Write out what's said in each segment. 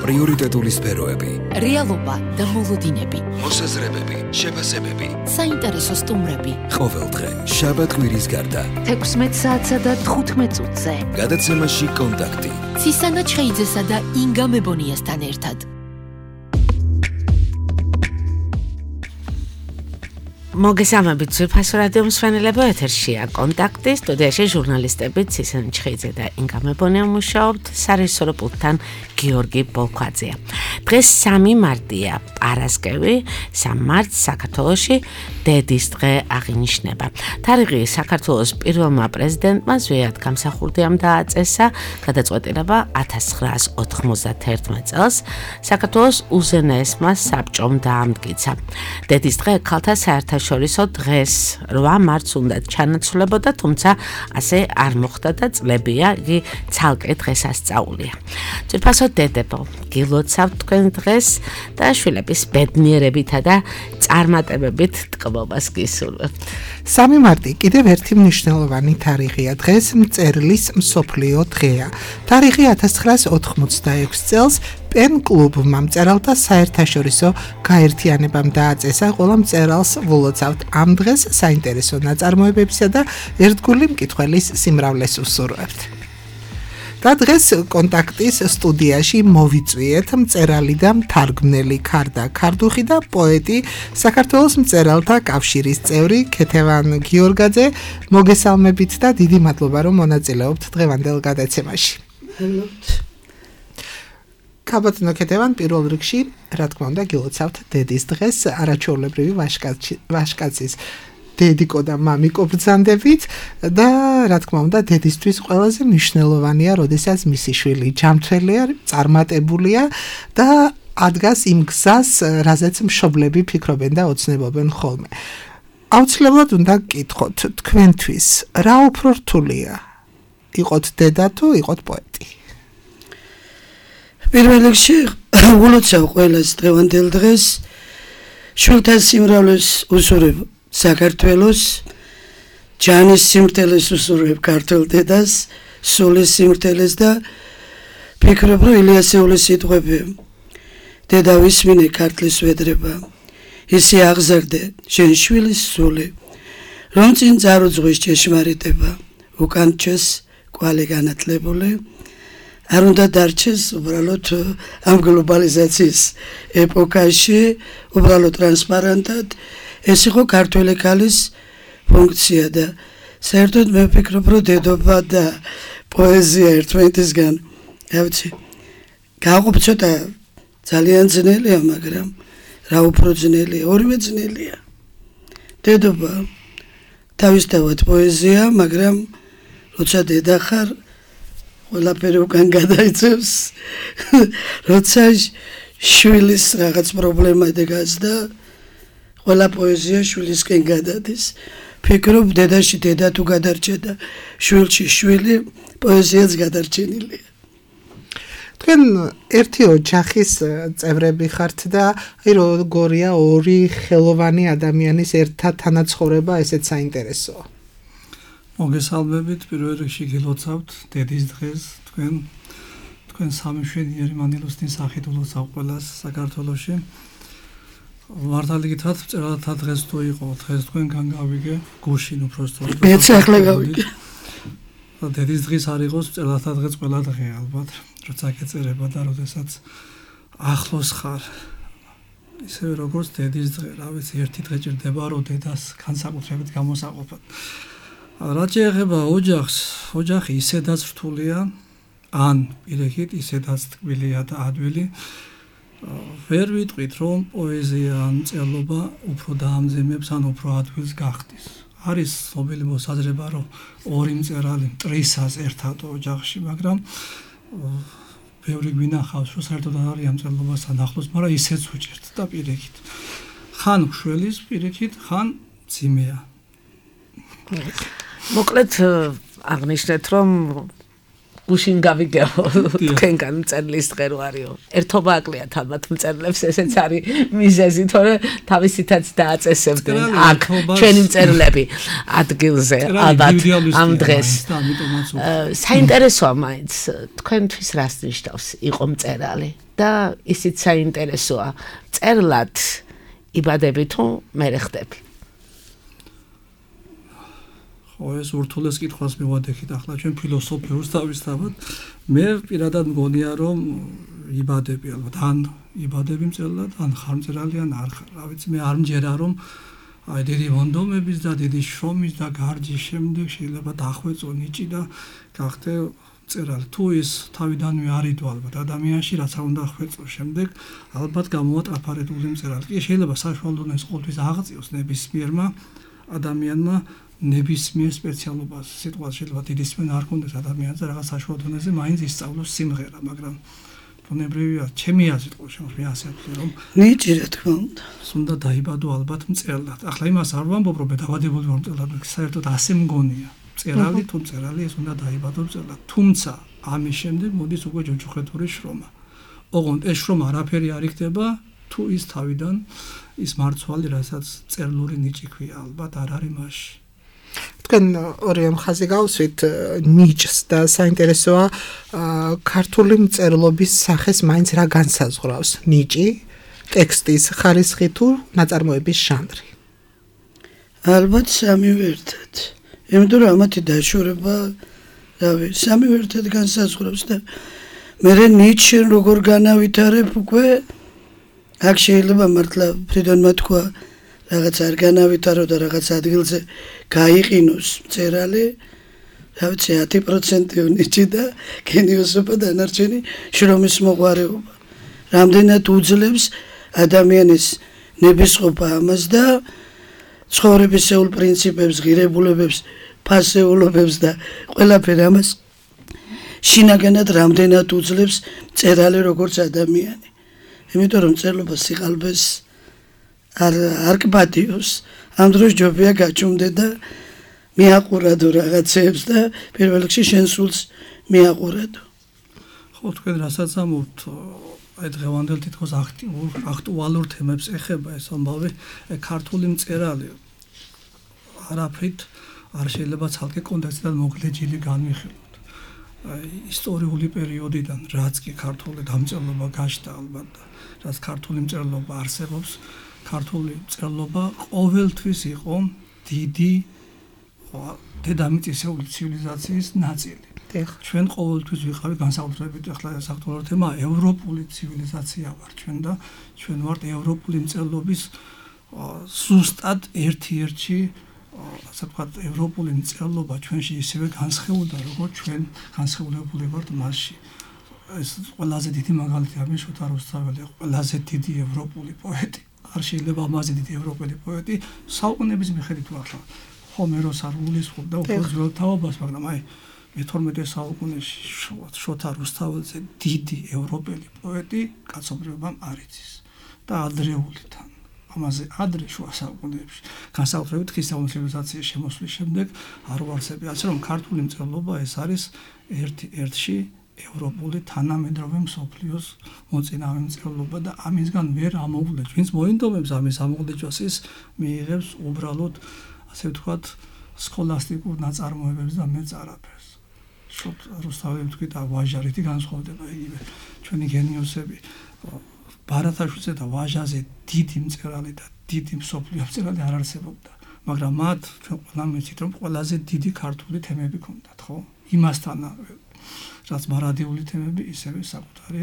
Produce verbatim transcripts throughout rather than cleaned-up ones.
პრიორიტეტული სფეროები, რეალობა და მოლოდინები, მოსაზრებები, შეფასებები, საინტერესო სტუმრები. ყოველდღე შაბათ-კვირის გარდა თექვსმეტ საათსა და თხუთმეტ წუთზე გადაცემაში კონტაქტი ცისანა ჩხეიძესა და ინგა მებონიასთან ერთად. მოგესალმებით ძვირფასო რადიო მსმენელებო, ეთერშია კონტაქტი, სტუდიაში ჟურნალისტები ცისანა ჩხეიძე და ინგა მებონია მუშაობთ, სარეჟისორო პულტთან გიორგი ბოლქვაძეა. დღეს სამი მარტია, პარასკევი, სამი მარტს საქართველოში დედის დღე აღინიშნება. თარიღი საქართველოს პირველმა პრეზიდენტმა ზვიად გამსახურდიამ დააწესა, გადაწყვეტილება ათას ცხრაას ოთხმოცდაათი წელს საქართველოს უზენაესმა საბჭომ დაამტკიცა. დედის დღე ქალთა საერთაშორისო დღეს რვა მარტს უნდა ჩანაცვლებოდა, თუმცა ასე არ მოხდა და წლებია იგი ცალკე დღესასწაულია. ძვირფასო დედებო, გილოცავთ თქვენ დღეს და შვილების ბედნიერებითა და წარმატებებით ტკბობას გისურვებთ. სამი მარტი კიდევ ერთი მნიშვნელოვანი თარიღია. დღეს მწერლის მსოფლიო დღეა. თარიღი ათას ცხრაას ოთხმოცდაექვსი წელს პენ-კლუბმა მწერალთა საერთაშორისო გაერთიანებამ დააწესა. ყველა მწერალს ვლოცავთ ამ დღეს საინტერესო ნაწარმოებებისა და ერთგული მკითხველის სიმრავლეს უსურვებთ. და დღეს კონტაქტის სტუდიაში მოვიწვიეთ მწერალი და მთარგმნელი ქარდა ქარდუხი და პოეტი, საქართველოს მწერალთა კავშირის წევრი ქეთევან გიორგაძე. მოგესალმებით და დიდი მადლობა, რომ მონაწილეობთ დღევანდელ გადაცემაში. ქაბატონო ქეთევან, პირველ რიგში, რა თქმა უნდა, გილოცავთ დედის დღეს, არაჩვეულებრივი ვაჟკაცის დედიკო და მამიკო ბრძანდებით და რა თქმა უნდა, დედისთვის ყველაზე მნიშვნელოვანია, როდესაც მისი შვილი ჯანმრთელია, წარმატებულია და ადგას იმ გზას, რაზეც მშობლები ფიქრობენ და ოცნებობენ ხოლმე. აუცილებლად უნდა გკითხოთ, თქვენთვის რა უფრო რთულია? იყოთ დედა თუ იყოთ პოეტი? პირველ რიგში ულოცავ ყველას დღევანდელ დღეს, შვილთა სიმრავლეს უსურვებ საქართველოს, ჯანის სიმრთელეს უსურვებ ქართველ დედას, სულის სიმრთელეს და ფიქრობ, რომ ილიასეულის სიტყვები დედა ვისმინე ქართლის ვედრება, ისე აღზარდე შენ შვილის სული, რომ წინ წარუძღვის ჭეშმარიტება, უკან ჩეს კვალი განათლებული, არ უნდა დარჩეს უბრალოდ ამ გლობალიზაციის ეპოქაში, უბრალოდ ტრანსპარენტად, ეს იყო ქართველი ქალის ფუნქცია და საერთოდ მე ვფიქრობ, რომ დედობა და პოეზია ერთმანეთისგან, რა ვიცი, გააყოფ ცოტა ძალიან ძნელია, მაგრამ რა უფრო ძნელია, ორივე ძნელია. დედობა თავისთავად პოეზია, მაგრამ როცა დედა ხარ, ყველაფერი უკან გადაიწევს, როცა შვილის რაღაც პრობლემა დგას და ყველა პოეზია შვილისკენ გადადის. ფიქრობ, დედაში დედა თუ გადარჩა და შვილში შვილი, პოეზიაც გადარჩენილია. თქვენ ერთი ოჯახის წევრები ხართ და აი როგორია ორი ხელოვანი ადამიანის ერთად თანაცხოვრება, ესეც საინტერესოა. მოგესალმებით, პირველ რიგში გილოცავთ დედის დღეს, თქვენ თქვენ სამი მშვენიერი მანილოსნის სახით ულოცავ ყველას საქართველოში. მართალი გითხრათ, მწერალთა დღეს თუ იყო, დღეს თქვენგან გავიგე, გუშინ უბრალოდ. მეც ახლა გავიგე. დედის დღის არ იყოს, მწერალთა დღეს ყველა დღეა ალბათ, როცა გეწერება და როდესაც ახლოს ხარ. ისევე როგორც დედის დღე, რა ვიცი, ერთი დღე ჭირდება, რომ დედას განსაკუთრებით გამოსაყოფად. რაც შეეხება ოჯახს, ოჯახი ისედაც რთულია, ან პირიქით ისედაც ტკბილია და ადვილი. ვერ ვიტყვით, რომ პოეზია ან მწერლობა უფრო დაამძიმებს, ან უფრო ადვილს გახდის. არის ცნობილი მოსაზრება, რომ ორი მწერალი მტრისას ერთად ოჯახში, მაგრამ ბევრი გვინახავს, რომ საერთოდ არ არის ამ მწერლობასთან ახლოს, მაგრამ ისეც უჭერთ და პირიქით. ხან მშველის პირიქით, ხან მძიმეა. მოკლედ აღნიშნეთ, რომ გუშინ გავიგებო თქვენგან მწერლის დღე რო არისო. ერთობა აკლიათ ალბათ მწერლებს, ესეც არის მიზეზი, თორე თავისითაც დააწესებდნენ აქ ჩვენი მწერლები ადგილზე ალბათ ამ დღეს. საინტერესოა მაინც თქვენთვის რას ნიშნავს იყო მწერალი და ისიც საინტერესოა მწერლად იბადები თუ მერე ხდები. ხო ეს ურთულეს კითხვას მივადექით ახლა ჩვენ ფილოსოფიურს დავისწავოთ. მე პირადად მგონია რომ იბადები ალბათ ან იბადები მწერლად ან ხარ მწერალი ან არ ხარ. რა ვიცი მე არ მჯერა რომ აი დიდი მონდომების და დიდი შრომის და გარჯის შემდეგ შეიძლება დახვეწო ნიჭი და გახდე მწერალი. თუ ის თავიდანვე არიდო ალბათ ადამიანში რაც არ უნდა ხვეწო შემდეგ ალბათ გამოატრაფარებული მწერალი. კი შეიძლება საშუალო ის ყოველთვის აღწიოს ნებისმიერმა ადამიანმა ნებისმიერ სპეციალობას. სიტყვა შეიძლება დიდი სმენა არ ქონდეს ადამიანზე რაღაც საშუალო დონეზე მაინც ისწავლოს სიმღერა, მაგრამ ბუნებრივია, ჩემი აზრით ყოველ შემთხვევაში ასე ვთქვი რომ ნიჭი რა თქმა უნდა. უნდა დაიბადო ალბათ მწერლად. ახლა იმას არ ვამბობ რომ დავადებული ვარ მწერლად, საერთოდ ასე მგონია. მწერალი თუ მწერალი ეს უნდა დაიბადო მწერლად. თუმცა ამის შემდეგ მოდის უკვე ჯოჯოხეთური შრომა. ოღონდ ეს შრომა არაფერი არ იქნება თუ ის თავიდან ის მარცვალი, რასაც წერლური ნიჭი ქვია, ალბათ არ არის მასში. თქვენ ორივე მხაზე გავუსვით ნიჭს და საინტერესოა ქართული მწერლობის სახეს მაინც რა განსაზღვრავს ნიჭი, ტექსტის ხარისხი თუ ნაწარმოების ჟანრი. ალბათ სამივე ერთად. იმიტომ რომ ამათი დაშორება, რავი, სამივე ერთად განსაზღვრავს და მე ნიჭი როგორ განავითარებ უკვე აქ შეიძლება მართლა ფრიდონმა თქვა რაღაც არ განავითარო და რაღაც ადგილზე გაიყინოს მწერალი, რა ვიცი ათი პროცენტი ნიჭი და გენიოსობა დანარჩენი შრომის მოყვარეობა. რამდენად უძლებს ადამიანის ნებისყოფა ამას და ცხოვრებისეულ პრინციპებს, ღირებულებებს, ფასეულობებს და ყველაფერ ამას შინაგანად რამდენად უძლებს მწერალი როგორც ადამიანი. იმიტომ რომ მწერლობა სიყალბეს არ არ კბადიოს. ამ დროს ჯობია გაჩუმდე და მიაყურადო რაღაცებს და პირველ რიგში შენ სულს მიაყურადო. ხო თქვენ რასაც ამბობთ აი დღევანდელ თითქოს აქტიურ აქტუალურ თემებს ეხება ეს ამბავი ქართული მწერალი არაფრით არ შეიძლება ცალკე კონტექსტიდან მოგლეჯილი განვიხილოთ. აი ისტორიული პერიოდიდან რაც კი ქართული დამწერლობა გაჩნდა ალბათ რაც ქართული მწერლობა არსებობს ქართული მწერლობა ყოველთვის იყო დიდი დედამიწისეული ცივილიზაციის ნაწილი. ჩვენ ყოველთვის ვიყავით განსაკუთრებით ახლა ეს აქტუალური თემა ევროპული ცივილიზაცია ვართ ჩვენ და ჩვენ ვართ ევროპული მწერლობის ზუსტად ერთ-ერთი ასე ვთქვათ ევროპული მწერლობა ჩვენში ისევე განსხეულდა როგორც ჩვენ განსხეულებული ვართ მასში. ეს ყველაზე დიდი მაგალითი არის შოთა რუსთაველი, ყველაზე დიდი ევროპული პოეტი. არ შეიძლება ამაზე დიდი ევროპელი პოეტი საუკუნეების მიხედვით ახლა ჰომეროს არ გულისხმობდა უფრო ძველ თაობას, მაგრამ აი მეთორმეტე საუკუნეში შოთა რუსთაველზე დიდი ევროპელი პოეტი კაცობრიობამ არ იცის და ადრეულიდან ამაზე ადრე შუა საუკუნეებში განსაკუთრებით ქრისტიანული ცივილიზაციის შემოსვლის შემდეგ არ ვარსებია, ასე რომ ქართული მწერლობა ეს არის ერთი ერთში ევროპული თანამედროვე მსოფლიოს მოწინავე მწერლობა და ამისგან ვერ ამოვლებს. ვინც მოინდომებს ამის ამოვლეჯას ის მიიღებს უბრალოდ ასე ვთქვათ სქოლასტიკურ ნაწარმოებებს და მეწარაფერს. შოთ რუსთაველი თქვი და ვაჟარითი განსხვავდება იგივე ჩვენი გენიოსები ბარათაშვილზე და ვაჟაზე დიდი მწერალი და დიდი მსოფლიო მწერალი არ არსებობდა, მაგრამ მათ ჩვენ ყველამ ვიცით რომ ყველაზე დიდი ქართული თემები ჰქონდათ, ხო? იმასთან რაც მარადიული თემები ისევე საკუთარი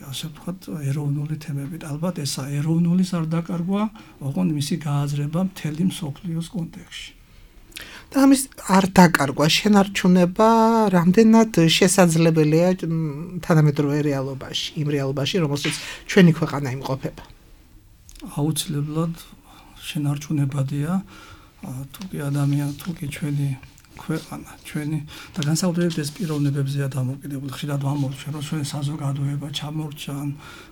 ასე ვთქვათ ეროვნული თემები. ალბათ ესა ეროვნულის არ დაკარგვა, ოღონდ მისი გააზრება მთელი მსოფლიოს კონტექსტში. და ამის არ დაკარგვა, შენარჩუნება რამდენად შესაძლებელია თანამედროვე რეალობაში, იმ რეალობაში, რომელსაც ჩვენი ქვეყანა იმყოფება. აუცილებლად შენარჩუნებადია, თუ კი ადამიანი, თუ კი ჩვენი ქვეყანა, ჩვენი და განსაკუთრებით ეს პიროვნებებზეა დამოკიდებული. ხშირად ვამბობ ჩვენ რომ ჩვენი საზოგადოება ჩამორჩა,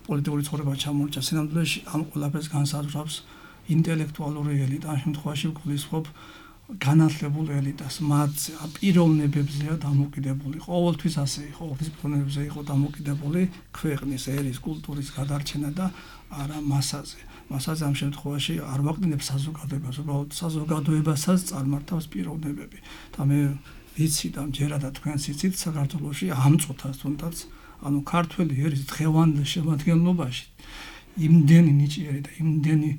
პოლიტიკური ცხოვრება ჩამორჩა, სინამდვილეში ამ ყველაფერს განსაზღვრავს ინტელექტუალური ელიტა, ამ შემთხვევაში ვგულისხმობ განათლებულ ელიტას, მათზე პიროვნებებზეა დამოკიდებული, ყოველთვის ასე იყო, ყოველთვის პიროვნებებზე იყო დამოკიდებული ქვეყნის, ერის, კულტურის გადარჩენა და არა მასაზე. მასაზე ამ შემთხვევაში არ ვაყრდნებს საზოგადოებას, უბრალოდ საზოგადოებასაც წარმართავს პიროვნებები. და მე ვიცი და მჯერა და თქვენც იცით საქართველოში ამ წუთას თუნდაც, ანუ ქართველი ერის დღევანდელ შემადგენლობაში იმდენი ნიჭიერი და იმდენი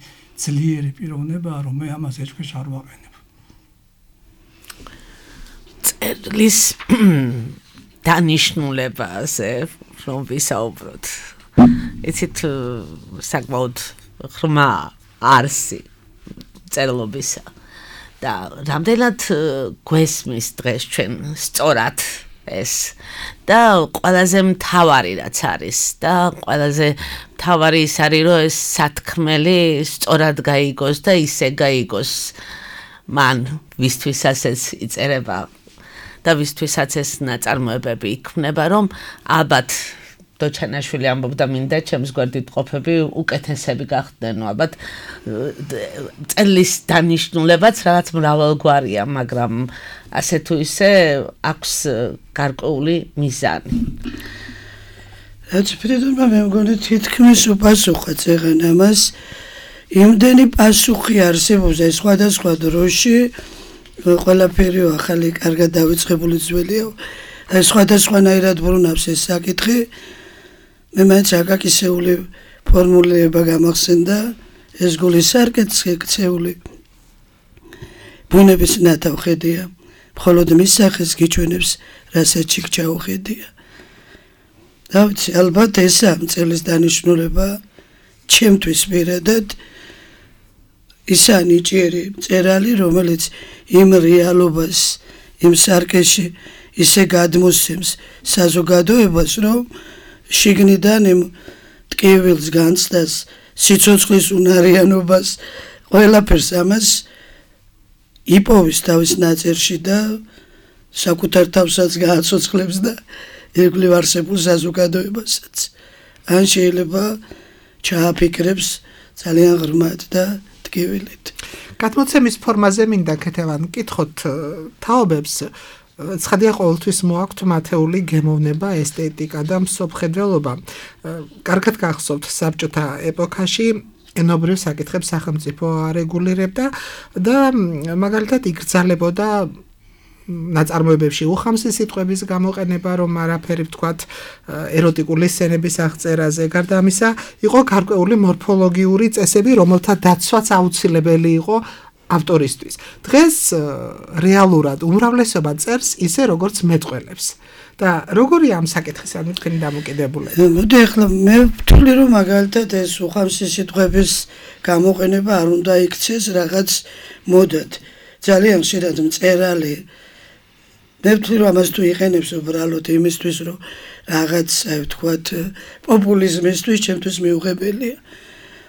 ძლიერი პიროვნებაა, რომ მე ამას ეჭქვეშ არ ვაყენებ. წერლის დანიშნულებაზე რომ ვისაუბროთ. იცით საკმაოდ ღრმა არსი წერლობისა და რამდენად გვესმის დღეს ჩვენ სწორად ეს და ყველაზე მთავარი რაც არის და ყველაზე მთავარი ის არის რომ ეს სათქმელი სწორად გაიგოს და ისე გაიგოს მან ვისთვისაც ეს იწერება და ვისთვისაც ეს ნაწარმოებები იქმნება რომ ალბათ დოჩანაშვილი ამბობდა მინდა ჩემს გვერდით ყოფები უკეთესები გახდნენო ალბათ წერლის დანიშნულებაც რაღაც მრავალგვარია მაგრამ ასე თუ ისე აქვს გარკვეული მიზანი რაც ფრიდონმა მე მგონი თითქმის უპასუხა წეგან ამას იმდენი პასუხი არსებობს ეს სხვადასხვა დროში ყველაფერი ახალი კარგად დავიწყებული ძველია ეს სხვადასხვანაირად ბრუნავს ეს საკითხი მე მაინც აკაკისეული ფორმულირება გამახსენდა ეს გულის სარკეთზე ქცეული ბუნების ნათავხედია მხოლოდ მის სახეს გიჩვენებს რასაც იქ ჩაუხედია და ვიცი ალბათ ეს ამ წელს დანიშნულება ჩემთვის პირადად ისა ნიჭიერი მწერალი რომელიც იმ რეალობას იმ სარკეში ისე გადმოსცემს საზოგადოებას რომ შიგნიდან იმ ტკივილს განცდას სიცოცხლის უნარიანობას ყველაფერს ამას იპოვის თავის ნაწერში და საკუთარ თავსაც გააცოცხლებს და ირგვლივ არსებულ საზოგადოებასაც ან შეიძლება ჩააფიქრებს ძალიან ღრმად და ტკივილით გადმოცემის ფორმაზე მინდა ქეთევან კითხოთ თაობებს ცხადია ყოველთვის მოაქვთ მათეული გემოვნება, ესთეტიკა და მსოფლმხედველობა. კარგად გახსოვთ საბჭოთა ეპოქაში ენობრივ საკითხებს სახელმწიფო არეგულირებდა და მაგალითად იგრძალებოდა ნაწარმოებებში უხამსი სიტყვების გამოყენება, რომ არაფერი ვთქვათ ეროტიკული სცენების აღწერაზე. გარდა ამისა, იყო გარკვეული მორფოლოგიური წესები, რომელთა დაცვაც აუცილებელი იყო ავტორისთვის. დღეს რეალურად უმრავლესობა წერს ისე როგორც მეტყველებს. და როგორია ამ საკითხისადმი თქვენი დამოკიდებულება? მოდი ახლა მე ვთვლი რომ მაგალითად ეს უხამსი სიტყვების გამოყენება არ უნდა იქცეს რაღაც მოდად. ძალიან ხშირად მწერალი მე ვთვლი რომ ამას თუ იყენებს უბრალოდ იმისთვის რომ რაღაც აი ვთქვათ პოპულიზმისთვის ჩემთვის მიუღებელია.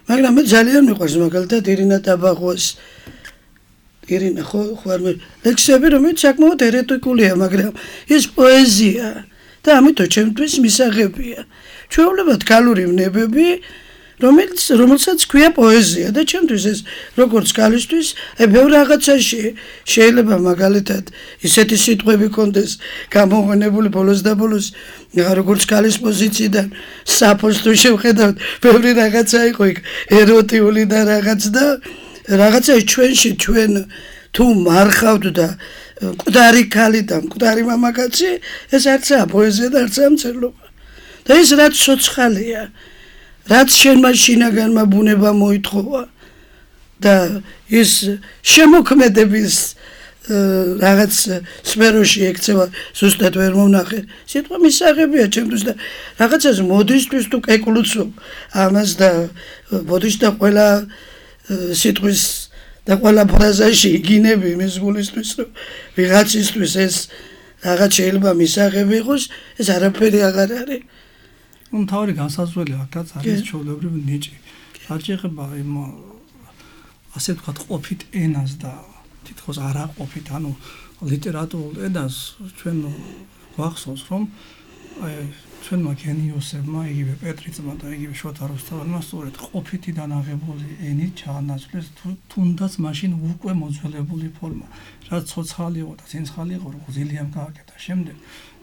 მაგრამ მე ძალიან მიყვარს მაგალითად ირინა ტაბაღოს ირინა ხო ხوار ლექსები რომელიც საკმაოდ ეროტიკულია მაგრამ ეს პოეზია და ამიტომ ჩემთვის მისაღებია ჩვეულებრივ გალური ვნებები რომელიც რომელსაც ქვია პოეზია და ჩემთვის ეს როგორც გალისთვის აი ბევრ რაღაცაში შეიძლება მაგალითად ისეთი სიტყვები კონდეს გამოყენებული ბოლოს და ბოლოს როგორც გალის პოზიციიდან საფოს თუ შევხედავთ ბევრი რაღაცა იყო იქ ეროტიული და რაღაც და რაღაცა ჩვენში ჩვენ თუ მარხავთ და მკვდარი ქალი და მკვდარი მამაკაცი ეს არცაა პოეზია და არცაა მწერლობა და ეს რაც სოცხალია რაც შენმა შინაგანმა ბუნება მოითხოვა და ის შემოქმედების რაღაც სფეროში ექცევა ზუსტად ვერ მომნახე სიტყვა მისაღებია ჩემთვის და რაღაცას მოდისთვის თუ კეკლუცობ ამას და მოდიშ და ყველა სიტყვის და ყველა ფრაზაში იგინები მის გულისთვის რომ ვიღაცისთვის ეს რაღაც შეიძლება მისაღები იყოს ეს არაფერი აღარ არის ну თავი განსაზღვრელი აქაც არის ჩვეულებრივი ნიჭი არ შეიძლება იმ ასე ვთქვათ ყოფით ენას და თითქოს არ აყოფით ანუ ლიტერატურულ ენას ჩვენ გვახსოვს რომ აი ჩვენმა გენიოსებმა, იგივე პეტრიწმა და იგივე შოთა რუსთაველმა სწორედ ყოფითიდან აღებული ენით ჩაანაცვლეს თუნდაც მაშინ უკვე მოძველებული ფორმა, რაც ცოცხალი იყო და ცინცხალი იყო, როგორც ილიამ გააკეთა შემდეგ,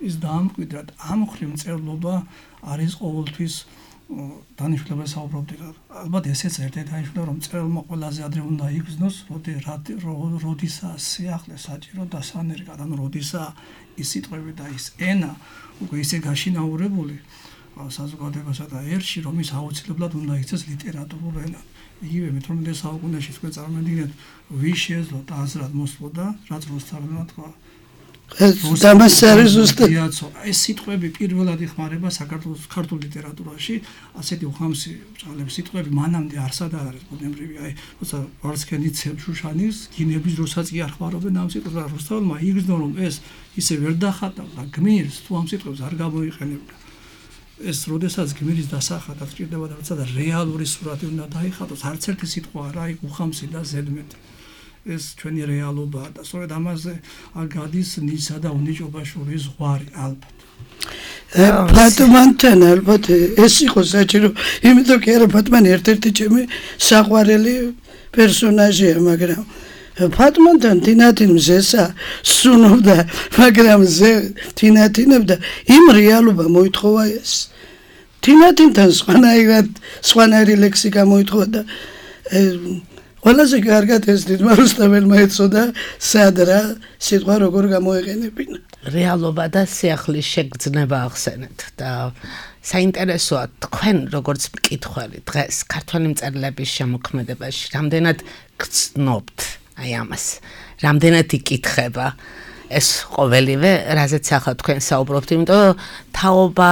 ის დაამკვიდრა და ამ მხრივ მწერლობა არის ყოველთვის დანიშნულებას საუბრობდი რა. ალბათ ესეც ერთ-ერთი დანიშნულება, რომ მწერალმა ყველაზე ადრე უნდა იგრძნოს, როდისაა სიახლე საჭირო და სანერგად, ანუ როდისაა ის სიტყვები და ის ენა უკვე ისე გაშინაურებული საზოგადოებასა და ერში, რომ ის აუცილებლად უნდა იქცეს ლიტერატურულ ენად. იგივე მეთორმეტე საუკუნეში თქვენ წარმოიდგინეთ, ვის შეეძლოთ აზრად მოსვლოდა, რაც რუსთაველმა თქვა. დამას არის ზუსტად ეს სიტყვები პირველად იხმარება საქართველოს ქართულ ლიტერატურაში, ასეთი უხამსი ბრწყინვალე სიტყვები მანამდე არსად არ არის ბუნებრივი. აი, როცა ვარსკენიცევ შუშანის გინების დროსაც კი არ ხმარობენ ამ სიტყვებს, რუსთაველმა იგრძნო, რომ ეს ისე ვერ დახატავდა გმირს, თუ ამ სიტყვებს არ გამოიყენებდა. ეს როდესაც გმირის დასახატად ჭირდება და როცა და რეალური სურათი უნდა დაიხატოს, არც ერთი სიტყვა არა, იქ უხამსი და ზედმეტი. ეს ჩვენი რეალობაა და სწორედ ამაზე გადის ნისა და უნიჭობაშვილის ზღვარი ალბათ. ფატმანთან ალბათ ეს იყო საჭირო, იმიტომ კი არა ფატმანი ერთ-ერთი ჩემი საყვარელი პერსონაჟია, მაგრამ ფატმანთან თინათინ მზესა სუნობდა, მაგრამ ზე თინათინებდა, იმ რეალობა მოითხოვა ეს. თინათინთან სხვანაირად სხვანაირი ლექსიკა მოითხოვა და ყველაზე კარგად ეს დიდმა რუსთაველმა ეცოდა სად რა სიტყვა როგორ გამოეყენებინა. რეალობა და სიახლის შეგრძნება ახსენეთ და საინტერესოა თქვენ როგორც მკითხველი დღეს ქართველი მწერლების შემოქმედებაში რამდენად გრძნობთ აი ამას, რამდენად იკითხება ეს ყოველივე, რაზეც ახლა თქვენ საუბრობთ, იმიტომ თაობა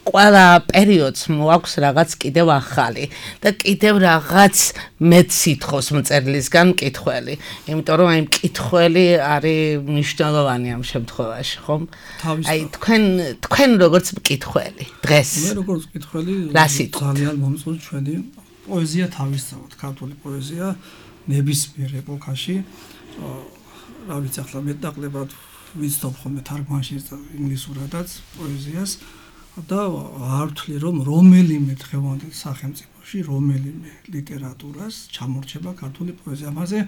ყველა პერიოდს მოაქვს რაღაც კიდევ ახალი და კიდევ რაღაც მეც სითხოს მწერლისგან მკითხველი, იმიტომ რომ აი მკითხველი არის მნიშვნელოვანი ამ შემთხვევაში, ხომ? აი თქვენ თქვენ როგორც მკითხველი დღეს მე როგორც მკითხველი ძალიან მომწონს ჩვენი პოეზია თავისთავად, ქართული პოეზია ნებისმიერ ეპოქაში რა ვიცი ახლა მეტნაკლებად ვიცნობ ხოლმე თარგმანში და ინგლისურადაც პოეზიას და არ ვთვლი რომ რომელიმე დღევანდელ სახელმწიფოში რომელიმე ლიტერატურას ჩამორჩება ქართული პოეზია. ამაზე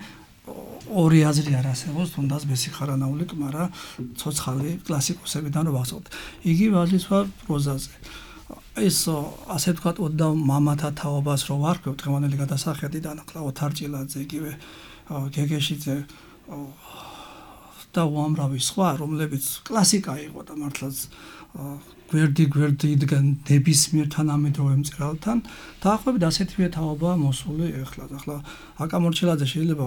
ორი აზრი არ არსებობს, თუნდაც ბესიხარანაული კმარა ცოცხალი კლასიკოსებიდან რო ვახსოვთ. იგივე აზრიც ვარ პროზაზე. ეს ასე ვთქვათ ოდნავ მამათა თაობას რო ვარქვევ დღევანდელი გადასახედიდან, ახლა ოთარ ჭილაძე, იგივე გეგეშიძე და უამრავი სხვა, რომლებიც კლასიკა იყო და მართლაც გვერდი გვერდი იდგან ნებისმიერ თანამედროვე მწერალთან, დაახლოებით ასეთივე თაობაა მოსული ეხლა. ახლა აკა მორჩილაძე შეიძლება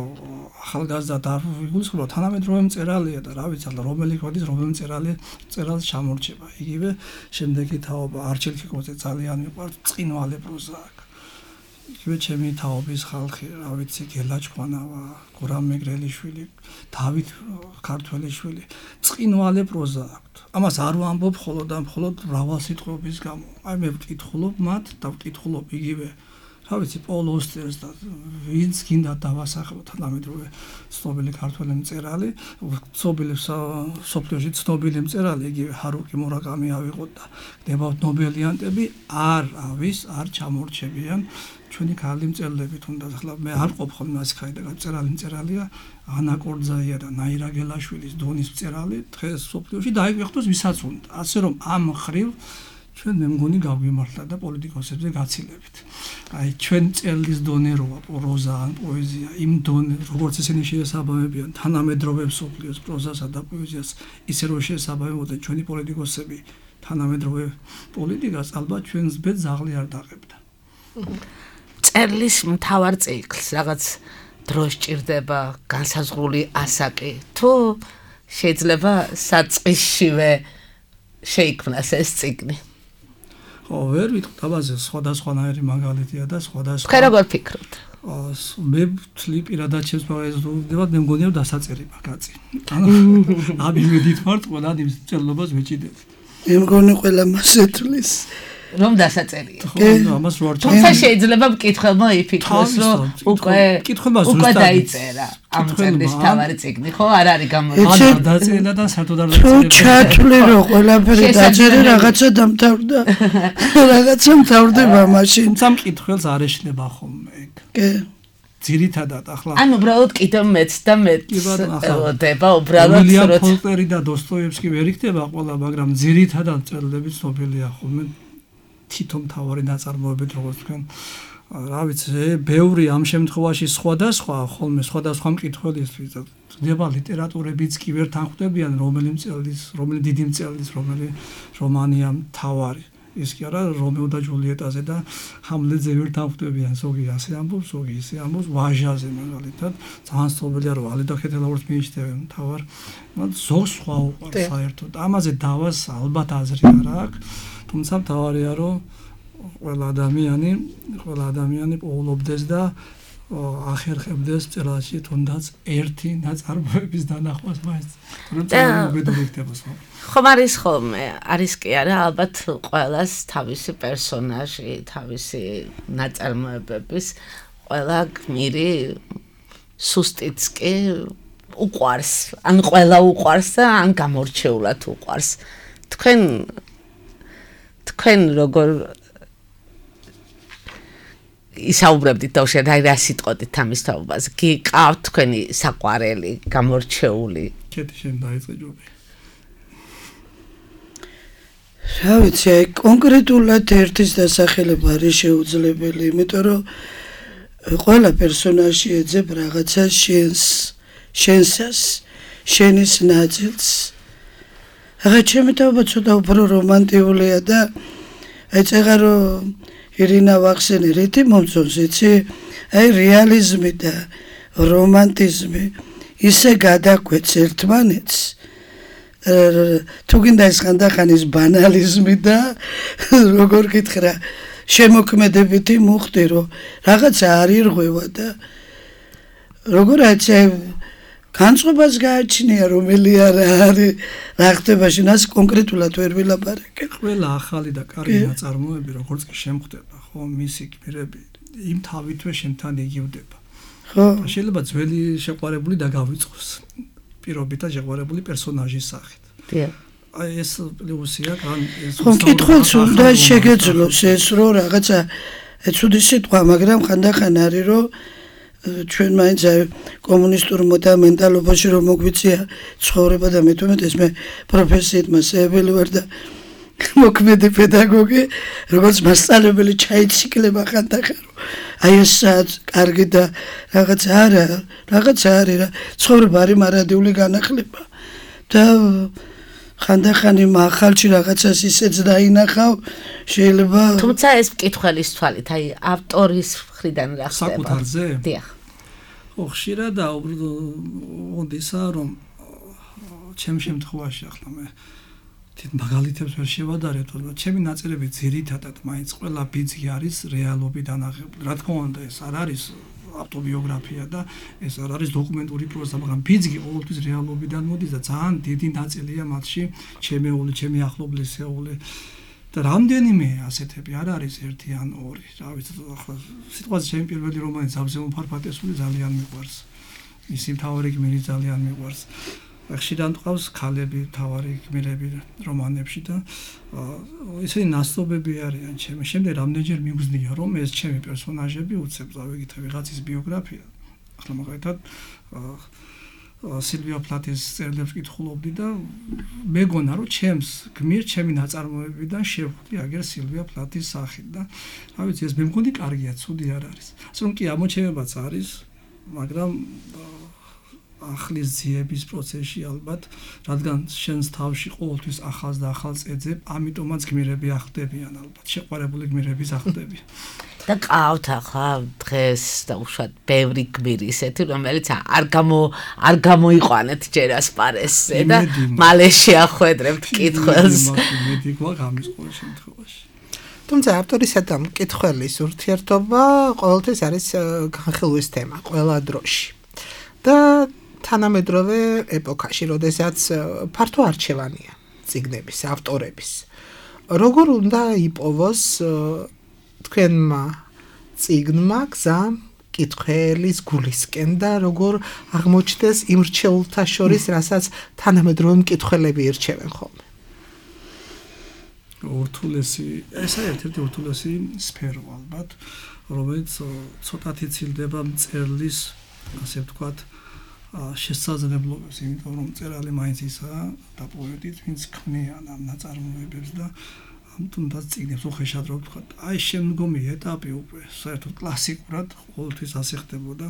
ახალგაზრდა არ ვიგულისხმობ, თანამედროვე მწერალია და რა ვიცი, ახლა რომელი ხვდის, რომელი მწერალი მწერალს ჩამორჩება. იგივე შემდეგი თაობა არჩილ ქიკოძე ძალიან მიყვარს, წინვალე პროზა აქვს. იგივე ჩემი თაობის ხალხი, რა ვიცი, გელა ჭკვანავა, გურამ მეგრელიშვილი, დავით ქართველიშვილი, წინვალე პროზა აქვთ. ამას არ ვამბობ მხოლოდ და მხოლოდ მრავალსიტყვების გამო. აი მე ვკითხულობ მათ და ვკითხულობ იგივე, რა ვიცი, პოლ ოსტერს და ვინც გინდა დავასახელოთ თანამედროვე ცნობილი ქართველი მწერალი, ცნობილი სოფლიოში ცნობილი მწერალი, იგივე ჰარუკი მურაკამი ავიღოთ და გდებავთ ნობელიანტები, არ არის, არ ჩამორჩებიან ჩვენი ქალი მწერლები, თუნდაც ახლა მე არ ყოფ ხოლმე ასე ხაიდა მწერალი მწერალია, ანა კორძაია და ნაირა გელაშვილის დონის მწერალი დღეს სოფლიოში დაიგვეხთოს ვისაც უნდა. ასე რომ ამ ხრივ ჩვენ მე მგონი გავიმართლა და პოლიტიკოსებზე გაცილებით. აი ჩვენ მწერლის დონე როა პროზა ან პოეზია, იმ დონე როგორც ისინი შეესაბამებიან თანამედროვე სოფლიოს პროზასა და პოეზიას, ისე რომ შეესაბამებოდნენ ჩვენი პოლიტიკოსები თანამედროვე პოლიტიკას, ალბათ ჩვენს ბედს ზაღლი არ დაღებდა. წერლის მთავარ ციკლს რაღაც დრო სჭირდება, განსაზღვრული ასაკი, თუ შეიძლება საწყისშივე შეიქმნას ეს ციკლი. ხო, ვერ ვიტყვი, დაბაზე სხვადასხვანაირი მაგალითია და სხვადასხვა. თქვენ როგორ ფიქრობთ? მე ვთვლი პირადად ჩემს პოეზიას, მე მგონია დასაწერი მაგაცი. ანუ აბიმედით ვარ, ყველა იმ წერლობას ვეჭიდებ. მე მგონი ყველა მასე თვლის. რომ დასაწერია. ხო, ამას რო არ თუმცა შეიძლება მკითხველმა იფიქროს, რომ უკვე მკითხველმა უკვე დაიწერა ამ წერლის თავარი წიგნი, ხო? არ არის გამორჩეული. ან დაწერა და საერთოდ არ თუ ჩათვლი რომ ყველაფერი დაწერე რაღაცა დამთავრდა. რაღაცა მთავრდება მაშინ. თუმცა მკითხველს არ ეშნება ხოლმე ეგ. კი. ძირითადად ახლა ან უბრალოდ კიდევ მეც და მეც ელოდება უბრალოდ უილიამ რომ ფოლკნერი და დოსტოევსკი ვერ იქნება ყველა, მაგრამ ძირითადად წერილები ცნობილია ხოლმე თითო მთავარი ნაწარმოებით, როგორც თქვენ რა ვიცი, ბევრი ამ შემთხვევაში სხვადასხვა ხოლმე სხვადასხვა მკითხველისთვის ხდება ლიტერატურებიც კი ვერ თანხვდებიან რომელი მწერლის, რომელი დიდი მწერლის, რომელი რომანია მთავარი. ის კი არა რომეო და ჯულიეტაზე და ჰამლეტზე ვერ თანხვდებიან, ზოგი ასე ამბობს, ზოგი ისე ამბობს, ვაჟაზე მაგალითად, ძალიან სწორია რომ ალი და ხეთელაურს მიიჩნევენ მთავარ, მაგრამ ზოგს სხვა უყვარს საერთოდ. ამაზე დავას ალბათ აზრი არ აქვს, თუმცა მთავარია რომ ყველა ადამიანი, ყველა ადამიანი პოულობდეს და ახერხებდეს წერილში თუნდაც ერთი ნაწარმოების დანახვას მაინც. რომ წერილი იქნებას ხო? ხომ არის ხოლმე, არის კი არა, ალბათ ყველას თავისი პერსონაჟი, თავისი ნაწარმოებების ყველა გმირი სუსტიც კი უყვარს, ან ყველა უყვარს და ან გამორჩეულად უყვარს. თქვენ თქვენ როგორ ისაუბრებდით და უშენ აი რა სიტყოდით ამის თაობას. გიყავთ თქვენი საყვარელი, გამორჩეული? კეთი შენ დაიწყე ჯობი. რა ვიცი, აი კონკრეტულად ერთის დასახელება არის შეუძლებელი, იმიტომ რომ ყველა პერსონაჟი ეძებ რაღაცა შენს, შენსას, შენის ნაწილს. აღა ჩემი თაობა ცოტა უფრო რომანტიულია და აი წეღა რომ ირინა ვახსენე რითი მომწონს, იცი? აი რეალიზმი და რომანტიზმი ისე გადაგვეც ერთმანეთს. თუ გინდა ეს ხანდახანის ბანალიზმი და როგორ გითხრა, შემოქმედებითი მუხტი, რომ რაღაცა არ ირღვევა და როგორ აჩე განწყობას გააჩნია, რომელი არა არის რა ხდება შენას კონკრეტულად ვერ ვილაპარაკე. ყველა ახალი და კარგი ნაწარმოები, როგორც კი შემხდება, ხო, მისი გმირები იმ თავითვე შენთან იგივდება. ხო. შეიძლება ძველი შეყვარებული დაგავიწყოს პირობითად შეყვარებული პერსონაჟის სახით. დიახ. აი ეს პლუსია, კან ეს ხო, მკითხველს უნდა შეგეძლოს ეს რომ რაღაცა ცუდი სიტყვა, მაგრამ ხანდახან არის რომ ჩვენ მაინც კომუნისტურ მენტალობაში რომ მოგვიწია ცხოვრება და მე თუმეტეს მე პროფესიით მასწავლებელი ვარ და მოქმედი პედაგოგი, როგორც მასწავლებელი ჩაიციკლება ხანდახან რომ აი ეს კარგი და რაღაც არა, რაღაც არის რა, ცხოვრება არის მარადიული განახლება და ხანდახან იმ ახალში რაღაცას ისეც დაინახავ, შეიძლება თუმცა ეს მკითხველის თვალით, აი ავტორის მხრიდან რა ხდება? საკუთარზე? დიახ. ხო, ხშირად აუგდისა რომ ჩემ შემთხვევაში ახლა მე თით მაგალითებს ვერ შევადარებ, თორემ ჩემი ნაწერები ძირითადად მაინც ყველა ბიძგი არის რეალობიდან აღებული. რა თქმა უნდა, ეს არ არის ავტობიოგრაფია და ეს არ არის დოკუმენტური პროზა, მაგრამ ბიძგი ყოველთვის რეალობიდან მოდის და ძალიან დიდი ნაწილია მათში ჩემეული, ჩემი ახლობლისეული და რამდენიმე ასეთები არ არის ერთი ან ორი. რა ვიცი, ახლა სიტყვაზე ჩემი პირველი რომანი ზავზე მოფარფატესული ძალიან მიყვარს. მისი მთავარი გმირი ძალიან მიყვარს. ხშირად მყავს ქალები, მთავარი გმირები რომანებში და ისინი ნასტობები არიან ჩემი. შემდეგ რამდენჯერ მიგზნია რომ ეს ჩემი პერსონაჟები უცებ წავიგით ვიღაცის ბიოგრაფია. ახლა მაგალითად სილვია პლატის წერილებს კითხულობდი და მეგონა რომ ჩემს გმირ ჩემი ნაწარმოებიდან შევხვდი აგერ სილვია პლატის სახით და რა ვიცი ეს მე მგონი კარგია, ცუდი არ არის. ასე რომ კი ამოჩენებაც არის, მაგრამ ახლის ძიების პროცესში ალბათ, რადგან შენს თავში ყოველთვის ახალს და ახალს ეძებ, ამიტომაც გმირები ახდებიან ალბათ, შეყვარებული გმირები ახდებიან. და ყავთ ახლა დღეს და უშუალოდ ბევრი გმირი ისეთი, რომელიც არ გამო არ გამოიყვანეთ ჯერ ასპარესზე და მალე შეახვედრებთ კითხველს. მედი გვაქვს ამის ყოველ შემთხვევაში. თუმცა ავტორისა და მკითხველის ურთიერთობა ყოველთვის არის განხილვის თემა ყველა დროში. და თანამედროვე ეპოქაში, როდესაც ფართო არჩევანია წიგნების, ავტორების. როგორ უნდა იპოვოს თქვენმა წიგნმა გზა კითხველის გულისკენ და როგორ აღმოჩნდეს იმ რჩეულთა შორის, რასაც თანამედროვე მკითხველები ირჩევენ ხოლმე. ურთულესი, ესა ერთ-ერთი ურთულესი სფერო ალბათ, რომელიც ცოტათი ცილდება მწერლის, ასე ვთქვათ, შესაძლებლობებს, იმიტომ რომ მწერალი მაინც ისაა და პოეტიც, ვინც ქმნიან ამ ნაწარმოებებს და თუნდაც წიგნებს უხეშად რო ვთქვათ, აი შემდგომი ეტაპი უკვე საერთოდ კლასიკურად ყოველთვის ასე ხდებოდა.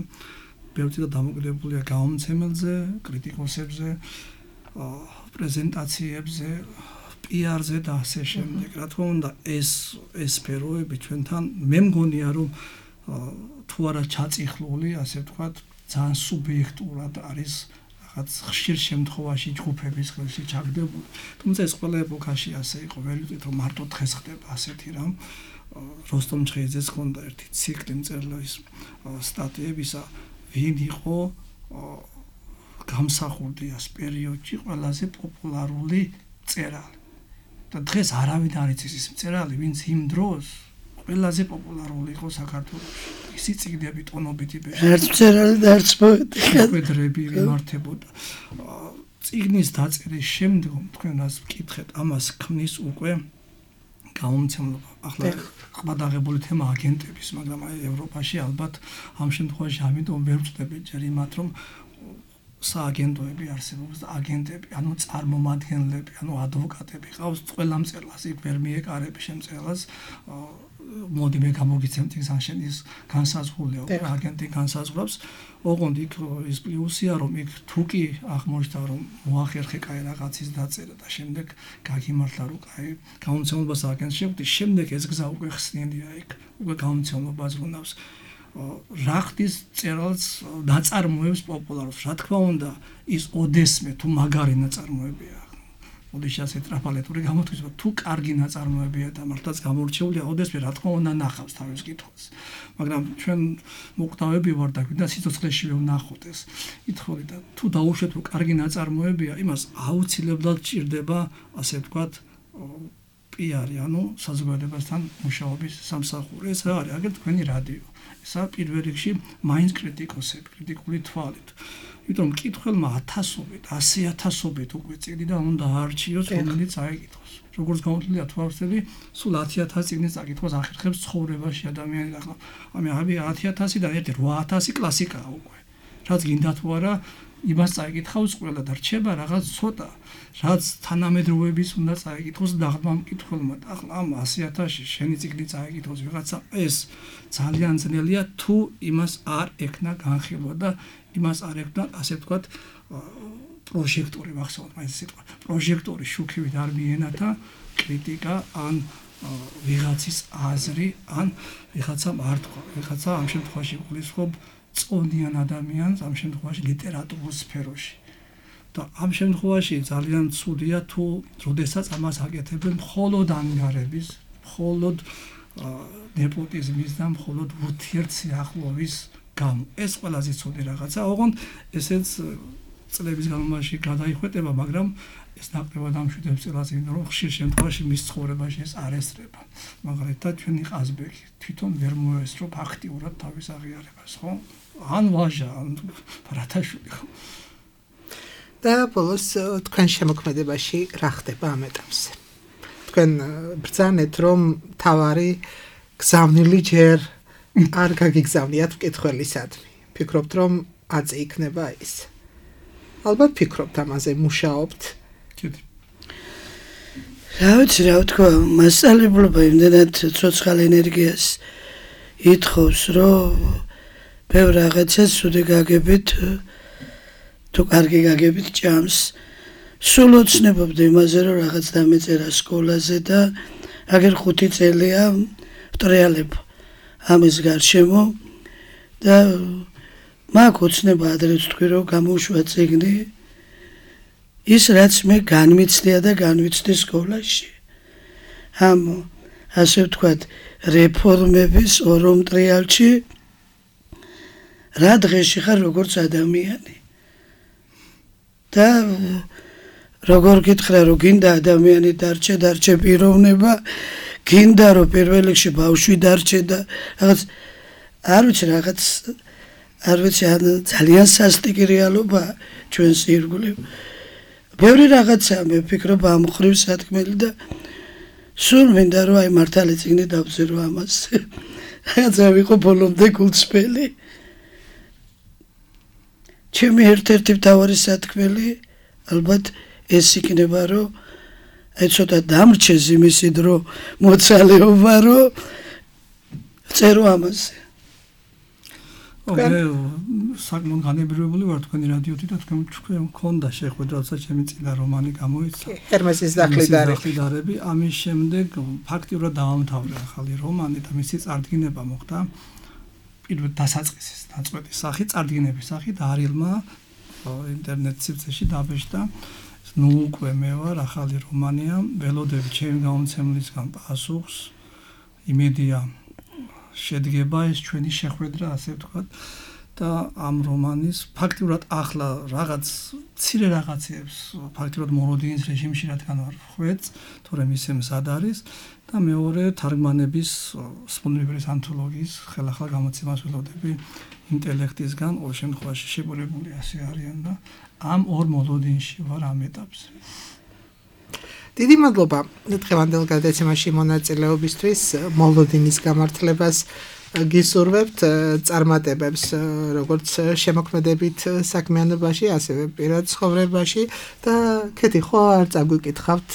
ბევრი და დამოკიდებულია გამომცემელზე, კრიტიკოსებზე, პრეზენტაციებზე, პიარზე და ასე შემდეგ. რა თქმა უნდა, ეს ეს სფეროები ჩვენთან მე მგონია რომ თუ არა ჩაწიხლული, ასე ვთქვათ, ძალიან სუბიექტურად არის რაღაც ხშირ შემთხვევაში ჯგუფების ხელში ჩაგდებული. თუმცა ეს ყველა ეპოქაში ასე იყო, ვერ ვიტყვით რომ მარტო დღეს ხდება ასეთი რამ. როსტომ ჩხეიძეს ჰქონდა ერთი ციკლი მწერლის სტატიებისა, ვინ იყო გამსახურდი ამ პერიოდში ყველაზე პოპულარული მწერალი. და დღეს არავინ არ იცის ის მწერალი, ვინც იმ დროს ყველაზე პოპულარული იყო საქართველოში. ისი წიგნები ტონობით იბეჭდა. არც მწერალი და არც პოეტი. ხვედრები მიმართებოდა. წიგნის დაწერის შემდგომ თქვენ რას ვკითხეთ, ამას ქმნის უკვე გამომცემლობა. ახლა ყბადაღებული თემა აგენტების, მაგრამ აი ევროპაში ალბათ ამ შემთხვევაში ამიტომ ვერ ვწდები ჯერ იმათ, რომ სააგენტოები არსებობს და აგენტები, ანუ წარმომადგენლები, ანუ ადვოკატები ყავს ყველა მწერლას, იქ ვერ მიეკარები შემწერლას, მოდი მე გამოგიცემ წიგნს ან შენ ის განსაზღვრულია, აგენტი განსაზღვრავს, ოღონდ იქ ის პლუსია, რომ იქ თუ კი აღმოჩნდა, რომ მოახერხე კაი რაღაცის დაწერა და შემდეგ გაგიმართლა რომ კაი გამომცემლობას აგენტს შეგვდი, შემდეგ ეს გზა უკვე ხსნილია იქ, უკვე გამომცემლობა ზრუნავს. რა ხდის მწერალს ნაწარმოებს პოპულარობს. რა თქმა უნდა, ის ოდესმე თუ მაგარი ნაწარმოებია. ოდეშ ასე ტრაფალეტური გამოთქვით, თუ კარგი ნაწარმოებია და მართლაც გამორჩეულია, ოდესმე რა თქმა უნდა ნახავს თავის კითხვას. მაგრამ ჩვენ მოკვდავები ვარ და გვინდა სიცოცხლეში ვნახოთ ეს კითხვები და თუ დაუშვეთ რომ კარგი ნაწარმოებია, იმას აუცილებლად ჭირდება, ასე ვთქვათ, პიარი, ანუ საზოგადოებასთან მუშაობის სამსახური. ეს რა არის? აგერ თქვენი რადიო. ესა პირველ რიგში მაინც კრიტიკოსები, კრიტიკული თვალით. იმიტომ რომ მკითხველმა ათასობით, ასი ათასობით უკვე წიგნიდან უნდა აარჩიოს, რომელიც აიკითხოს. როგორც გამოთვლილია თუ არსები, სულ ათი ათასი წიგნის წაკითხვას ახერხებს ცხოვრებაში ადამიანი. ახლა ამი ათი ათასიდან ერთი რვა ათასი კლასიკაა უკვე. რაც გინდა თუ არა, იმას წაიკითხავს ყველა და რჩება რაღაც ცოტა, რაც თანამედროვეების უნდა წაიკითხოს დაღმა მკითხველმა. ახლა ამ ასი ათასში შენი წიგნი წაიკითხოს ვიღაცა, ეს ძალიან ძნელია თუ იმას არ ექნა განხილვა და იმას არ ექნა, ასე ვთქვათ, პროჟექტორი, მახსოვს მაინც სიტყვა. პროჟექტორი შუქივით არ მიენათა კრიტიკა ან ვიღაცის აზრი, ან ვიღაცა მართვა, ვიღაცა ამ შემთხვევაში გულისხმობ წონიან ადამიანს ამ შემთხვევაში ლიტერატურულ სფეროში. და ამ შემთხვევაში ძალიან ცუდია თუ როდესაც ამას აკეთებენ მხოლოდ ანგარების, მხოლოდ ნეპოტიზმის და მხოლოდ ურთიერთსიახლოვის გამო. ეს ყველაზე ცუდი რაღაცა, ოღონდ ესეც წლების განმავლობაში გადაიხვეტება, მაგრამ ეს ნაკლებად ამშვიდებს წელას, იმიტომ რომ ხშირ შემთხვევაში მის ცხოვრებაში ეს არ ესწრება. მაგალითად, ჩვენი ყაზბეგი თვითონ ვერ მოესწრო ფაქტიურად თავის აღიარებას, ხო? ან ვაჟა, ან ბარათაშვილი. და ბოლოს თქვენ შემოქმედებაში რა ხდება ამ ეტაპზე? თქვენ ბრძანეთ, რომ თავარი გზავნილი ჯერ არ გაგიგზავნიათ მკითხველისადმი. ფიქრობთ, რომ აწი იქნება ის? ალბათ ფიქრობთ ამაზე, მუშაობთ. კიდე. რა ვიცი, რა ვთქვა, მასწავლებლობა იმდენად ცოცხალ ენერგიას ითხოვს, რომ ბევრ რაღაცას უდე გაგებით, თუ კარგი გაგებით ჭამს. სულ ოცნებობდი იმაზე, რომ რაღაც დამეწერა სკოლაზე და აგერ ხუთი წელია ვტრიალებ ამის გარშემო და მაქვს ოცნება ადრე ვთქვი, რომ გამოუშვა წიგნი ის, რაც მე განმიცდია და განვიცდი სკოლაში. ამ, ასე ვთქვათ, რეფორმების ორ მტრიალში რა დღეში ხარ როგორც ადამიანი. და როგორ გითხრა რომ გინდა ადამიანი დარჩე დარჩე პიროვნება გინდა რომ პირველ რიგში ბავშვი დარჩე და რაღაც არ ვიცი რაღაც არ ვიცი ძალიან სასტიკი რეალობა ჩვენს ირგვლივ ბევრი რაღაცაა მე ვფიქრობ ამ ხრივ სათქმელი და სულ მინდა რომ აი მართალი წიგნი დავწერო ამას რაღაცა ვიყო ბოლომდე გულწრფელი ჩემი ერთ-ერთი მთავარი სათქმელი ალბათ ეს იქნება რომ აი ცოტა დამრჩეს იმისი დრო მოცალეობა რომ წერო ამაზე ოკეი საკმაოდ განებრივებული ვარ თქვენი რადიოთი და თქვენ თქვენ მქონდა შეხვედრა როცა ჩემი წინა რომანი გამოიცა ჰერმესის დახლიდარები ამის შემდეგ ფაქტიურად დავამთავრე ახალი რომანი და მისი წარდგინება მოხდა პირველ დასაწყისის დაწყვეტის სახით წარდგინების სახით არილმა ინტერნეტ სივრცეში დაბეჭდა ნუ უკვე მე ვარ ახალი რომანია ველოდები ჩემი გამომცემლისგან პასუხს იმედია შედგება ეს ჩვენი შეხვედრა ასე ვთქვათ და ამ რომანის ფაქტიურად ახლა რაღაც ცირე რაღაცებს ფაქტიურად მოროდინის რეჟიმში რადგან ვარ ხვეწ თორემ ისე მზად არის და მეორე თარგმანების სპონდრიბერის ანთოლოგიის ხელახლა გამოცემას ველოდები ინტელექტისგან ყოველ შემთხვევაში შეგურებული ასე არიან და ამ ორ მოლოდინში ვარ ამ ეტაპზე დიდი მადლობა დღევანდელ გადაცემაში მონაწილეობისთვის მოლოდინის გამართლებას გისურვებთ წარმატებებს როგორც შემოქმედებით საქმიანობაში ასევე პირად ცხოვრებაში და კეთი ხო არ წაგვიკითხავთ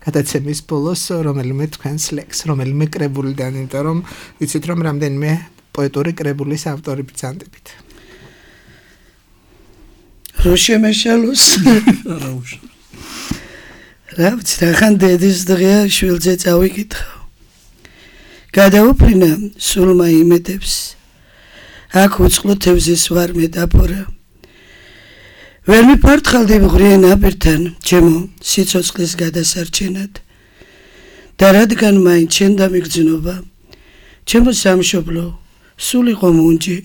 გადაცემის ბოლოს რომელიმე თქვენს ლექს რომელიმე კრებულიდან იმიტომ რომ ვიცით რომ რამდენიმე პოეტური კრებულის ავტორი ბრძანდებით რო შემეშალოს არა უშ რა ვიცი რახან დედის დღეა შვილზე წავიკითხავ გადაუფრინა სულმა იმედებს აქ უწყლო თევზის ვარ მეტაფორა ვერ მიფართხალდი მღრიე ნაპირთან ჩემო სიცოცხლის გადასარჩენად და რადგან მაინც შენ დამიგრძნობა ჩემო სამშობლო სულ იყო მუნჯი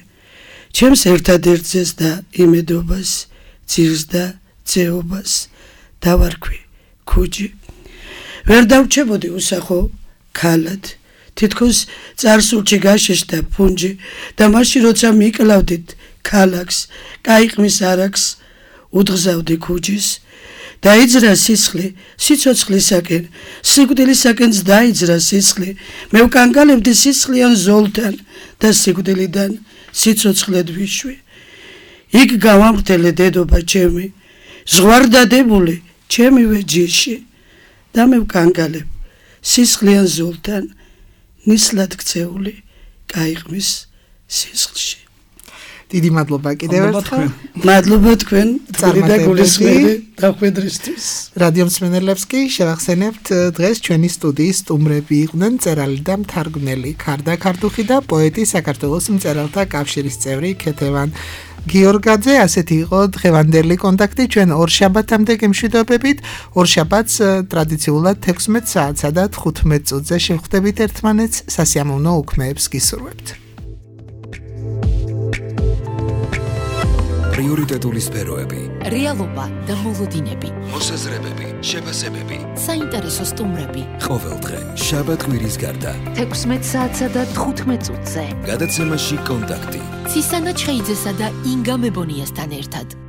ჩემს ერთადერთზეს და იმედობას ძირს და ძეობას დავარქვი ქუჯი ვერ დავჩებოდი უსახო ქალად თითქოს წარსულში გაშეშდა ფუნჯი და მაშინ როცა მიკლავდით ქალაკს კაიყმის არაკს უძღზავდი ქუჯის დაიძრა სისხლი სიცოცხლისაკენ სიკვდილისაკენც დაიძრა სისხლი მე ვკანკალებდი სისხლიან ზოლთან და სიკვდილიდან სიცოცხლედ ვიშვი იქ გავამრთელე დედობა ჩემი ზღვარდადებული ჩემივე ჯიში და მე ვკანკალებ სისხლიან ზოლთან ნისლად ქცეული კაიყმის სისხლში დიდი მადლობა კიდევ ერთხელ მადლობა თქვენ და გულისხმები დახვედრისთვის რადიო მსმენელებს კი შევახსენებთ დღეს ჩვენი სტუდიის სტუმრები იყვნენ მწერალი და მთარგმნელი ქარდა ქართუხი და პოეტი საქართველოს მწერალთა კავშირის წევრი ქეთევან გიორგაძე ასეთი იყო დღევანდელი კონტაქტი ჩვენ ორ შაბათამდე გემშვიდობებით ორ შაბათს ტრადიციულად თექვსმეტ საათსა და თხუთმეტ წუთზე შევხვდებით ერთმანეთს სასიამოვნო უქმეებს გისურვებთ პრიორიტეტული სფეროები რეალობა და მოლოდინები მოსაზრებები შეფასებები საინტერესო სტუმრები ყოველდღე შაბათ კვირის გარდა თექვსმეტ საათსა და თხუთმეტ წუთზე გადაცემაში კონტაქტი ცისანა ჩხეიძესა და ინგა მებონიასთან ერთად